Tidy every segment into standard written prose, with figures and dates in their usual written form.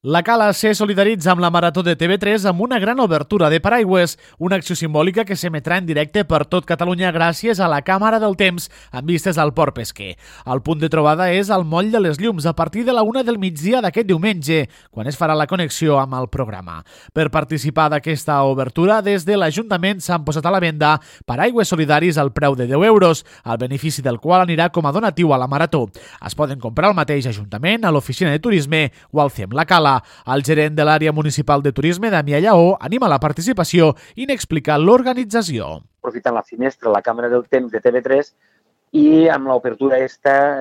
La Cala se solidaritza amb la Marató de TV3 amb una gran obertura de paraigües, una acció simbòlica que s'emetrà en directe per tot Catalunya gràcies a la Càmera del Temps amb vistes al Port Pesquer. El punt de trobada és al Moll de les Llums a partir de la 1 del migdia d'aquest diumenge, quan es farà la connexió amb el programa. Per participar d'aquesta obertura, des de l'Ajuntament s'han posat a la venda paraigües solidaris al preu de 10 euros, el benefici del qual anirà com a donatiu a la Marató. Es poden comprar al mateix Ajuntament, a l'Oficina de Turisme o al CEM La Cala. El gerent de l'àrea municipal de turisme, Damià Lleó, anima la participació i n'explica l'organització. Aprofitant la finestra, la càmera del temps de TV3 i amb l'obertura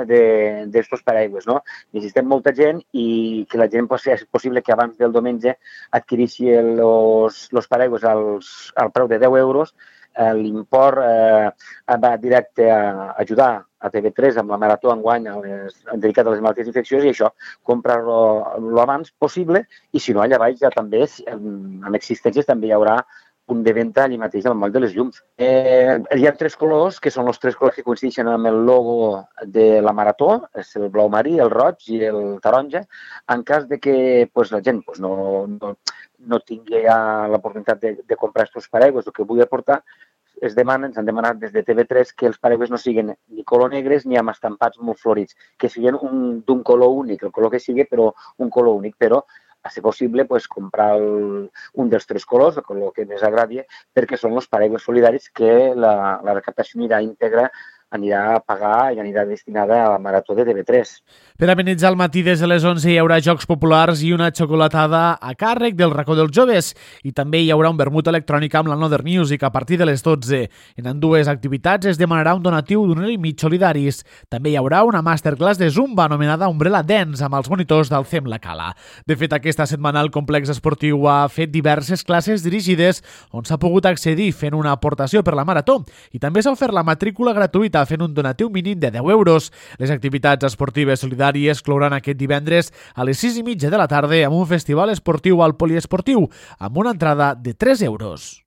d'estos paraigües, no? Necessitem molta gent i que la gent és possible que abans del diumenge adquirissi els paraigües al preu de 10 euros. L'import va directe a ajudar a TV3 amb la Marató enguany dedicat a les malalties infeccioses i això, comprar-lo abans possible i si no, allà baix ja també, amb existències, també hi haurà punt de venda allà mateix al Moll de les Llums. Hi ha 3 colors, que són els 3 colors que coincideixen amb el logo de la Marató, és el blau marí, el roig i el taronja. En cas de que la gent no tingui l'oportunitat de comprar aquests paraigües, el que vull aportar, ens han demanat des de TV3 que els paraigües no siguin ni color negres ni amb estampats molt florits, que siguin d'un color únic, el color que sigui, però un color únic, però a ser possible comprar un dels 3 colors, el color que més agradi, perquè són els paraigües solidaris que la recaptació anirà íntegra, anirà a pagar i anirà destinada a la Marató de TV3. Per amenitzar el matí des de les 11 hi haurà jocs populars i una xocolatada a càrrec del racó dels joves i també hi haurà un vermut electrònic amb la Another Music a partir de les 12. En ambdues activitats es demanarà un donatiu d'1,5 € solidaris. També hi haurà una masterclass de Zumba anomenada Umbrella Dance amb els monitors del CEM La Cala. De fet, aquesta setmana el complex esportiu ha fet diverses classes dirigides on s'ha pogut accedir fent una aportació per la Marató i també s'ha ofert la matrícula gratuïta fent un donatiu mínim de 10 euros. Les activitats esportives solidàries clouran aquest divendres a les 6:30 de la tarda amb un festival esportiu al poliesportiu amb una entrada de 3 euros.